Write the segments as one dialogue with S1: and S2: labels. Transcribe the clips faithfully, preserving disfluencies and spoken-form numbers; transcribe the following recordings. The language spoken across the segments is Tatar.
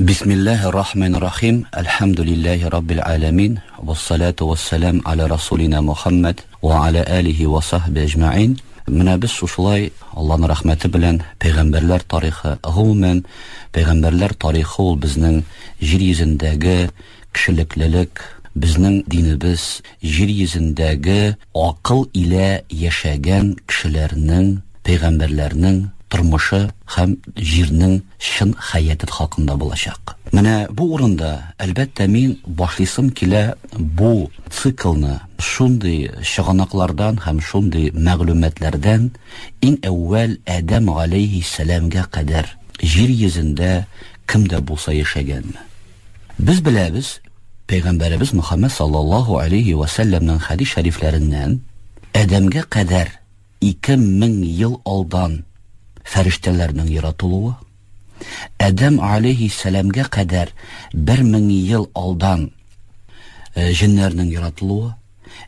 S1: Бисмиллахир-рахманир-рахим. Әлхәмдүлилләһи раббил аламин. Вассалату вассалам аля расулина Мухаммад ва аля алихи ва сахби әҗмәин. Менә без шушылай Аллаһның рәхмәте белән пәйгамбәрләр тарихы, гомумән пәйгамбәрләр тарихы ул безнең җир йөзендәге кешелеклелек, безнең динебез җир йөзендәге акыл илә яшәгән кешеләрнең, пәйгамбәрләрнең тормышы һәм җирнең чын хәяты хакында булачак. Менә бу урында, әлбәттә, мин башлыйсым килә бу циклны шундый чыганаклардан һәм шундый мәгълүматлардан иң әүвәл Адәм галәйһиссәламгә кадәр җир йөзендә кем дә булса яшәгәнме? Без беләбез, Пәйгамбәребез Мөхәммәд саллаллаһу алейхи ва сәлләмнең хәдис шәрифләреннән Адәмгә кадәр ике мең ел алдан фәрештәләрнең яратылуы, Адәм алейхиссәламгә кадәр бер мең ел алдан җеннәрнең яратылуы,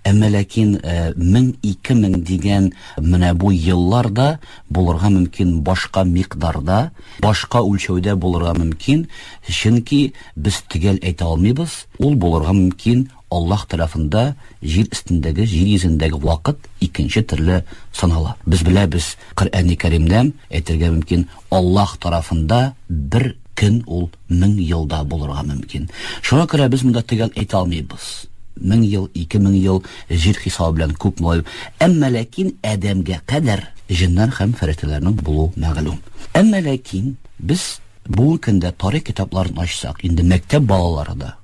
S1: әмма ләкин мең ике мең дигән менә бу елларда булырга мөмкин башка микъдарда, башка үлчәүдә булырга мөмкин, чөнки без төгәл әйтә алмыйбыз, ул булырга мөмкин Аллаһ тарафында җир өстендәге, җир йөзендәге вакыт икенче төрле санала. Без беләбез, Коръәни Кәримдән әйтергә мөмкин, Аллаһ тарафында бер көн ул мең елда булырга мөмкин. Шуңа күрә без монда төгәл әйтә алмыйбыз. Мең ел, ике мең ел җир хисабы белән күп була. Әмма ләкин Адәмгә кадәр җеннәр һәм фәрештәләрнең булуы мәгълүм. Әмма ләкин без бүгенге көндә тарих китапларын ачсак, инде мәктәп балалары да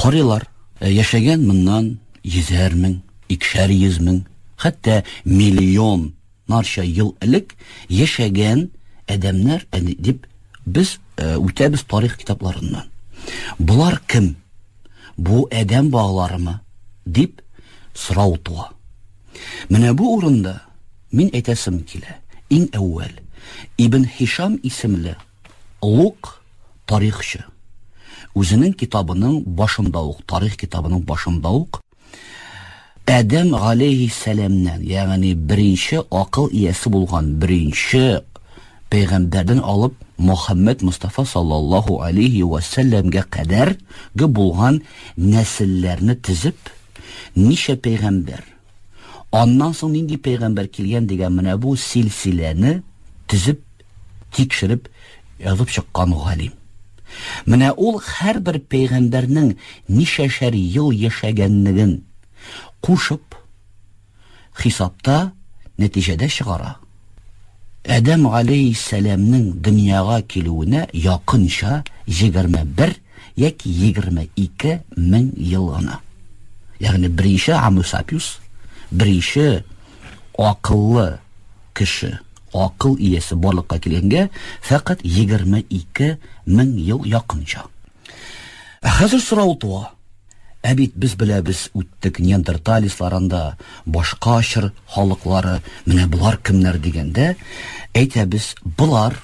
S1: карыйлар, яшәгән моннан йөзәр мең, икешәр йөз мең, хәтта миллионнарча ел элек яшәгән адәмнәр дип без үтәбез тарих китапларыннан. Булар кем? Бу адәм балаларымы? Дип сорау туа. Менә бу урында мин әйтәсем килә. Иң әүвәл Ибн Һишам исемле олуг тарихчы үзенең китабының башында ук, тарих китабының башында ук Адәм галәйһиссәламнән, ягъни беренче акыл иясе булган беренче пәйгамбәрдән алып Мухаммад Мустафа саллаллаһу алейхи ва сәлләмгә кадәр булган нәселләрне тезеп, ничә пәйгамбәр, аннан соң нинди пәйгамбәр килгән дигән менә бу силсиләне тезеп, тикшереп язып чыккан галим. Менә ул һәрбер пәйгамбәрнең ничәшәр ел яшәгәнлеген кушып хисапта нәтиҗәдә чыгара. Адәм галәйһиссәламнең дөньяга килүенә якынча егерме бер яки егерме ике мең ел гына. Ягъни беренче Homo sapiens, беренче акыллы кеше, акыл иясе барлыкка килгәнгә фәкать егерме ике мең ел якынча. Ә хәзер сорау туа. Ә бит без беләбез, үттек неандерталисларында, башка чор халыклары, менә булар кемнәр дигәндә, әйтәбез, булар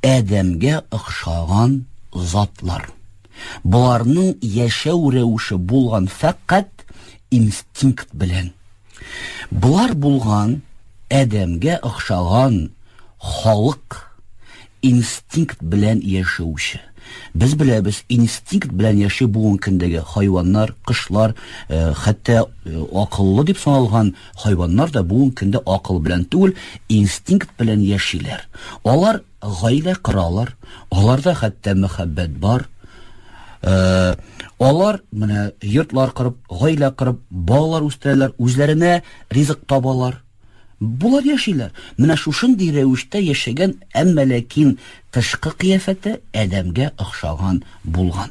S1: Адәмгә охшаган затлар. Буларның яшәү рәвеше булган фәкать инстинкт белән. Булар булган Адәмгә охшаган халык инстинкт белән яшәүче. Без беләбез, инстинкт белән яшәү бүгенге көндәге хайваннар, кошлар, хәтта акыллы дип саналган хайваннар да бүгенге көндә акыл белән түгел, инстинкт белән яшиләр. Алар гаилә коралар, аларда хәтта мәхәббәт бар. Алар менә йортлар корып, гаилә корып, балалар үстерәләр, үзләренә ризык табалар. Булар яшиләр. Менә шушындый рәвештә яшәгән, әмма ләкин тышкы кыяфәте Адәмгә охшаган булган.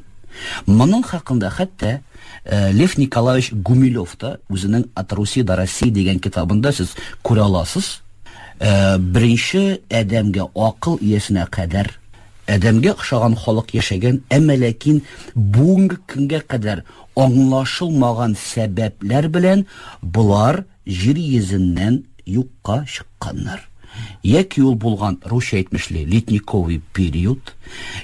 S1: Моның хакында хәтта Лев Николаевич Гумилев та үзенең От Руси до России дигән китабында сез күрә аласыз. Беренче Адәмгә, акыл иясенә кадәр Адәмгә охшаган халык яшәгән, әмма ләкин бүгенге көнгә кадәр аңлашылмаган сәбәпләр белән булар җир йөзеннән юкка чыкканнар. Яки ул булган, русча әйтмешли, ледниковый период,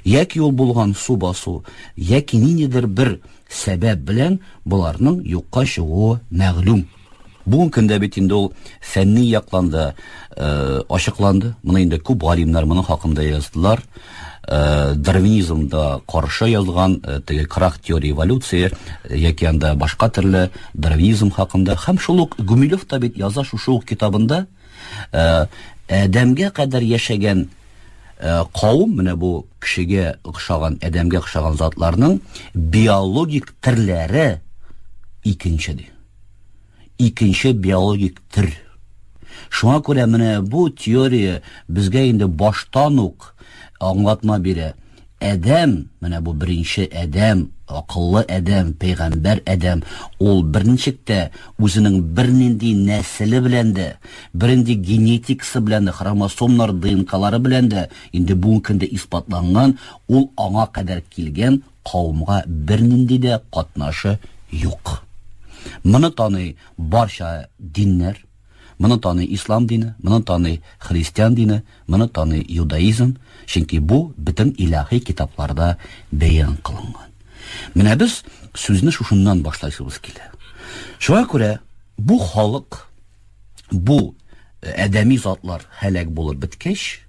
S1: яки ул булган су басу, яки ниндидер бер сәбәп белән буларның юкка чыгуы мәгълүм. Бүгенге көндә бит инде ул фәнни якланды, ачыкланды. Моны инде күп галимнәр моның хакында яздылар. дарвинизмда каршы язган, теге крах теории эволюции яки анда башка төрле дарвинизм хакында. Һәм шул ук Гумилев та бит яза шушы ук китабында, Адәмгә кадәр яшәгән кавым, менә бу кешегә охшаган, адәмгә охшаган затларның биологик төрләре икенче ди. Икенче биологик төр. Шуңа күрә менә бу теория безгә инде баштан ук аңлатма бирә. Адәм, менә бу беренче адәм, акыллы адәм, пәйгамбәр адәм, ул берничек тә үзенең бернинди нәселе белән дә, бернинди генетикасы белән дә, хромосомнар ДНКлары белән дә инде бүгенге көндә исбатланган, ул аңа кадәр килгән кавымга бернинди дә катнашы юк. Моны таный барча диннәр, моны таный ислам дине, моны таный христиан дине, моны таный иудаизм, чөнки бу бөтен илаһи китапларда бәян кылынган. Менә без сүзне шушыннан башлайсыбыз килә. Шуңа күрә бу халык, бу адәми затлар һәлак булып беткәч,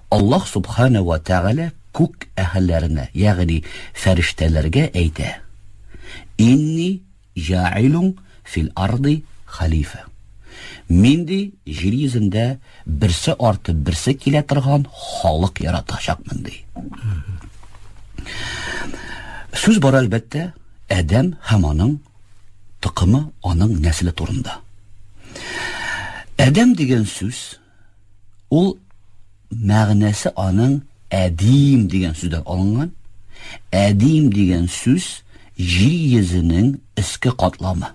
S1: Аллаһ субхана ва тәгалә күк әһелләренә, ягъни фәрештәләргә әйтә: Инни җаилун фил арды халифа. Мин ди җир йөзендә берсе артып берсе килә торган халык яратачакмын ди. Сүз бар әлбәттә Адәм һәм аның токымы, аның нәселе турында. Адәм дигән сүз ул мәгънәсе аның әдим дигән сүздән алынган. Әдим дигән сүз җир йөзенең өске катламы.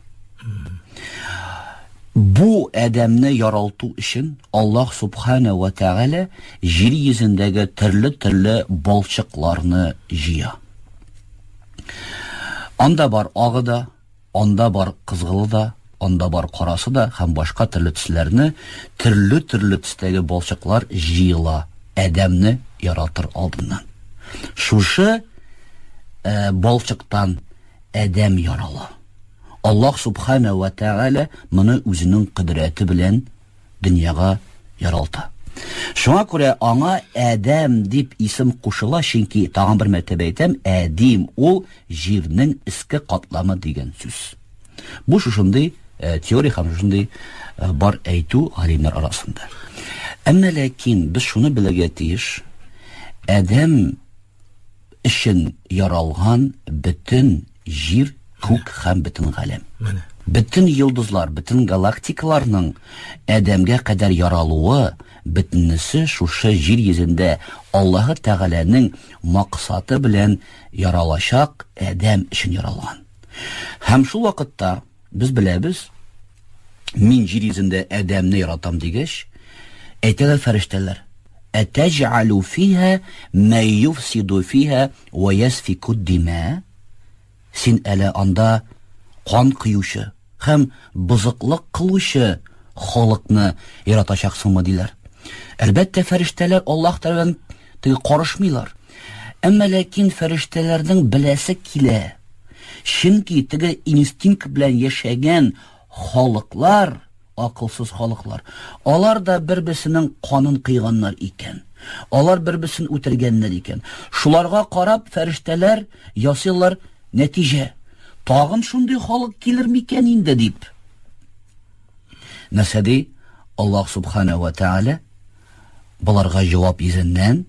S1: Бу адәмне яралту өчен Аллаһ субхана ва тәгалә җир йөзендәге төрле-төрле балчыкларны җыя. Анда бар агы да, анда бар кызгылы да, анда бар карасы да һәм башка төрле төсләрне, төрле-төрле төстәге балчыклар җыела адәмне яратыр алдыннан. Шушы э, балчыктан адәм ярала. Аллаһ субхана ва тәгалә моны үзенең кодрәте белән дөньяга яралта. Шуңа күрә аңа Адәм дип исем кушыла, чөнки тагын бер мәртәбә әйтәм, Әдим ул җирнең өске катламы дигән сүз. Бу шушындый э, теория һәм шушындый э, бар әйтү галимнәр арасында. Әмма ләкин без шуны белергә тиеш, Адәм өчен яралган бөтен җир, күк һәм бөтен галәм.
S2: Менә.
S1: Бөтен йолдызлар, бөтен галактикаларның Адәмгә кадәр яралуы, бөтенесе шушы җир йөзендә Аллаһы Тәгаләнең максаты белән яралачак Адәм өчен яралган. Һәм шул вакытта без беләбез, мин җир йөзендә Адәмне яратам дигәч, әйтәләр фәрештәләр: Әтәҗәлү фиһа мә юфсиду фиһа ва ясфику дима? Син әле анда кан коючы һәм бозыклык кылучы халыкны яратачаксыңмы диләр. Әлбәттә, фәрештәләр Аллаһ тарафыннан теге карышмыйлар. Әмма ләкин фәрештәләрнең беләсе килә. Чөнки теге инстинкт белән яшәгән халыклар, акылсыз халыклар, алар да бер-берсенең канын кыйганнар икән. Алар бер-берсен үтергәннәр икән. Шуларга карап фәрештәләр ясыйлар нәтиҗә. Тагын шундый халык килер микән инде дип. Нәрсә ди? Аллаһ субхана ва тааля буларга җавап йөзеннән: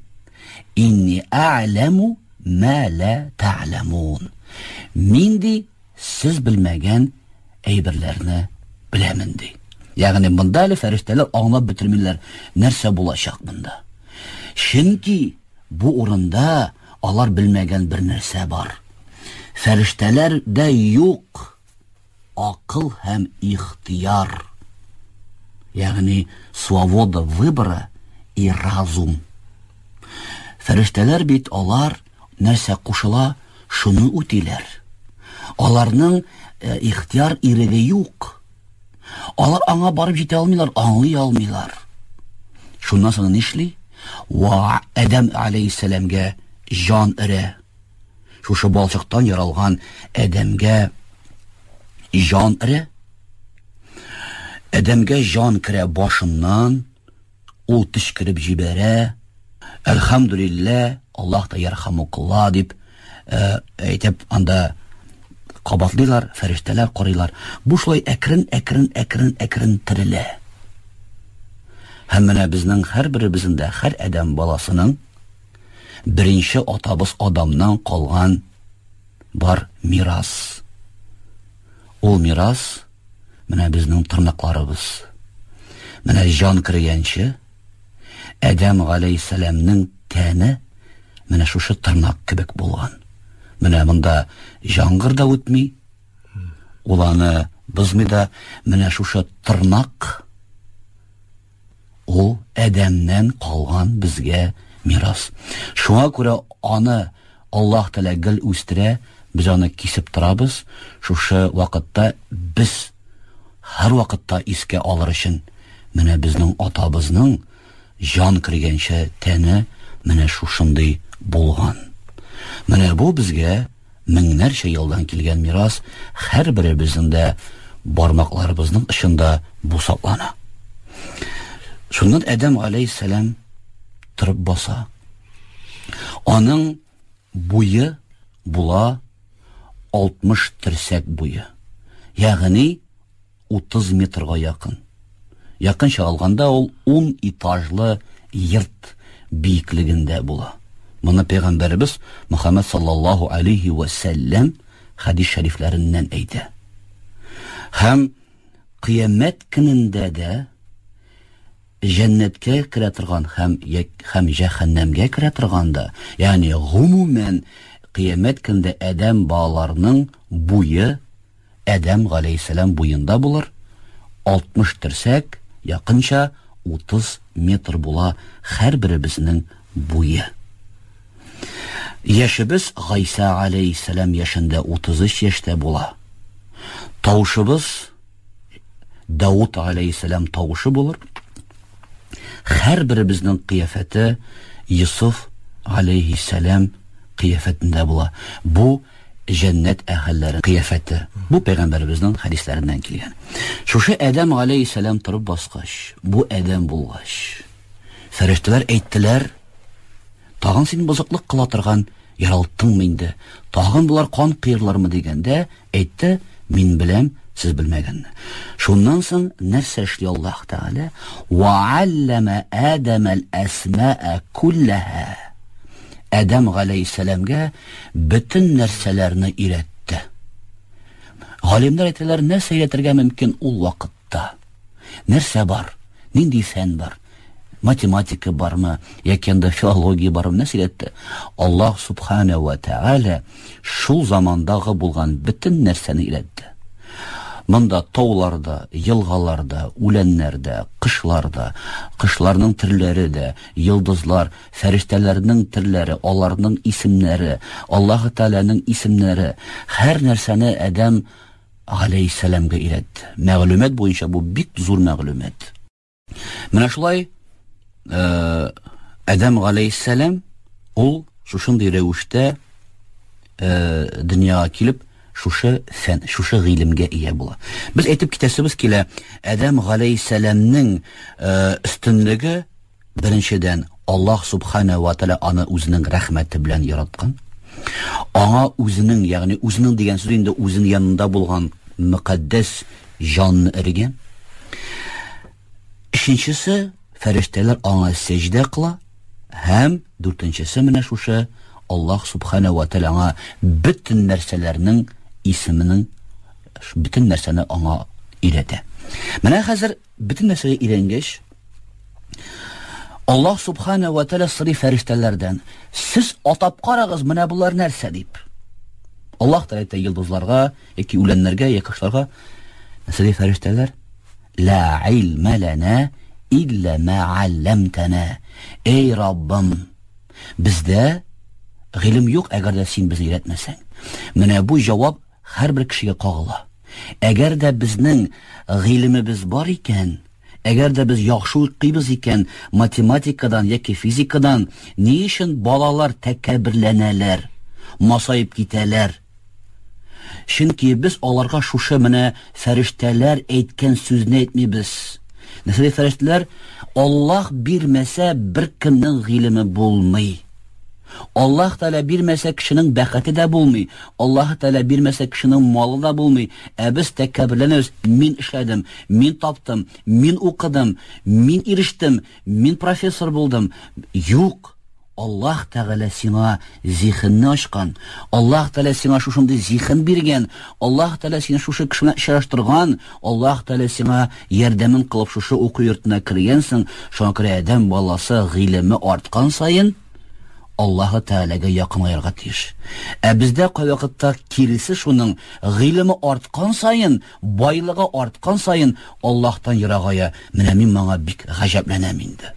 S1: Инни а'ламу ма ла та'ламун. Мин ди сез белмәгән әйберләрне беләмен ди. Ягъни монда әле фәрештәләр аңлап бетермиләр нәрсә булачак монда. Чөнки бу урында алар белмәгән бер нәрсә бар. Фәрештәләр дә юк акыл һәм ихтияр. Ягъни свобода выбора и разум. Фәрештәләр бит алар нәрсә кушыла, шуны үтиләр. Аларның э, ихтияр иреге юк. Алар аңа барып җитә алмыйлар, аңлый алмыйлар. Шуннан соң нишли? Ва Адәм алейһиссәламгә җан өрә. Шушы балчыктан яралган Адәмгә җан өрә. Адәмгә җан керә башыннан, ул төчкереп җибәрә. Әлхәмдүлилләһ, Аллаһ та ярхамукалла дип әйтеп анда кабатлыйлар, фәрештәләр карыйлар. Бу шулай әкрен, әкрен, әкрен, әкрен терелә. Һәм менә безнең һәрберебезнең дә, һәр адәм баласының беренче атабыз Адамнан калган бар мирас. Ул мирас менә безнең тырнакларыбыз. Менә җан кергәнче Адәм галәйһиссәламнең тәне менә шушы тырнак кебек булган. Менә монда җаңгыр да үтми, ул аны бозмый да, менә шушы тырнак ул Адәмнән калган безгә мирас. Шуңа күрә аны Аллаһ Тәгалә гел үстерә, без аны кисеп торабыз. Шушы вакытта без һәр вакытта искә алыр өчен менә безнең атабызның җан кергәнче тәне менә шушындый булган. Менә бу безгә меңнәрчә елдан килгән мирас, һәр беребезнең дә бармакларыбызның очында бу саклана. Шуннан Адәм галәйһиссәлам торып баса. Аның буе була алтмыш терсәк буе. Ягъни утыз метрга якын. Якынча алганда ул ун этажлы йорт биеклегендә була. Моны Пәйгамбәребез Мөхәммәд саллаллаһу алейхи ва сәлләм хадис шәрифләреннән әйтә. Һәм кыямәт көнендә дә җәннәткә керә торган һәм һәм җәһәннәмгә керә торган да, ягъни гомумән кыямәт көнендә адәм балаларының буе Адәм галәйһиссәлам буенда булыр, алтмыш терсәк, якынча утыз метр була һәр беребезнең буе. Яшебез Гайса алейхиссәлам яшендә утыз өч яшьтә була. Тавышыбыз Дауд алейхиссәлам тавышы булыр. Һәр беребезнең кыяфәте Йусуф алейхиссәлам кыяфәтендә була. Бу җәннәт әһелләре кыяфәте. Бу пәйгамбәребезнең хәдисләреннән килгән. Шушы Адәм алейхиссәлам торып баскач, бу Адәм булгач, фәрештәләр әйттеләр: тагын син бозыклык кыла торган яралттыңмы инде? Тагын булар кан кыерлармы дигәндә, әйтте: мин беләм, сез белмәгәнне. Шуннан соң нәрсә эшли Аллаһ Тәгалә? Ва аллама Адама ал-асмаа куллаха. Адәм галәйһиссәламгә бөтен нәрсәләрне өйрәтте. Галимнәр әйтәләр, нәрсә өйрәтергә мөмкин ул вакытта? Нәрсә бар? Нинди фән бар? Математика бармы? Яки анда филология бармы? Нәрсә өйрәтте? Аллаһ субхана ва тәгалә шул замандагы булган бөтен нәрсәне өйрәтте. Монда тауларда, елгаларда, үләннәрдә, кышларда, кышларның төрләре дә, йолдызлар, фәрештәләрнең төрләре, аларның исемнәре, Аллаһ Тәгаләнең исемнәре, һәр нәрсәне Адәм галәйһиссәламгә өйрәтте. Мәгълүмат буенча бу бик зур мәгълүмат. Менә шулай, э, Адәм галәйһиссәлам ул шушындый рәвештә, э, дөньяга килеп, шушы фән, шушы гыйлемгә ия була. Без әйтеп китәсебез килә, Адәм галәйһиссәламнең, э, өстенлеге беренчедән Аллаһ субхана ва тааля аны үзенең рәхмәте белән яраткан. Аңа үзенең, ягъни үзенең дигән сүз инде үзенең янында булган мөкаддәс җанны өргән. Өченчесе, фәрештәләр аңа сәҗдә кыла, һәм дүртенчесе менә шушы Аллаһ субхана ва тааля аңа бөтен нәрсәләрнең исеменең, бөтен нәрсәне аңа өйрәтә. Менә хәзер бөтен нәрсәгә өйрәнгәч, Аллаһ субхана ва тааля сорый фәрештәләрдән: сез атап карагыз, менә булар нәрсә дип. Аллаһ Тәгалә әйтә йолдызларга, яки үләннәргә, яки кошларга. Нәрсә ди фәрештәләр? Ла илма лана илла ма алламтана. Эй Раббым, бездә гыйлем юк, әгәр дә син безне өйрәтмәсәң. Менә бу җавап һәрбер кешегә кагыла. Әгәр дә безнең гыйлемебез бар икән, әгәр дә без яхшы укыйбыз икән, математикадан яки физикадан, ни өчен балалар тәкәбберләнәләр, масаеп китәләр? Чөнки без аларга шушы менә фәрештәләр әйткән сүзне әйтмибез. Нәрсә ди фәрештәләр? Аллаһ бирмәсә, беркемнең гыйлеме булмый. Аллаһ Тәгалә бирмәсә кешенең бәхете дә булмый. Аллаһ Тәгалә бирмәсә кешенең малы да булмый. Ә без тәкәбберләнәбез. Мин эшләдем, мин таптым, мин укыдым, мин ирештем, мин профессор булдым. Юк. Аллаһ Тәгалә сиңа зиһенне ачкан. Аллаһ Тәгалә сиңа шушындый зиһен биргән. Аллаһ Тәгалә сине шушы кеше белән очраштырган. Аллаһ Тәгалә сиңа ярдәмен кылып шушы уку йортына кергәнсең. Шуңа күрә адәм баласы гыйлеме арткан саен Аллаһ Тәгаләгә якынаерга тиеш. Ә бездә кайвакытта киресе шуның, гыйлеме арткан саен, байлыгы арткан саен Аллаһтан ерагая. Менә мин моңа бик гаҗәпләнәм инде.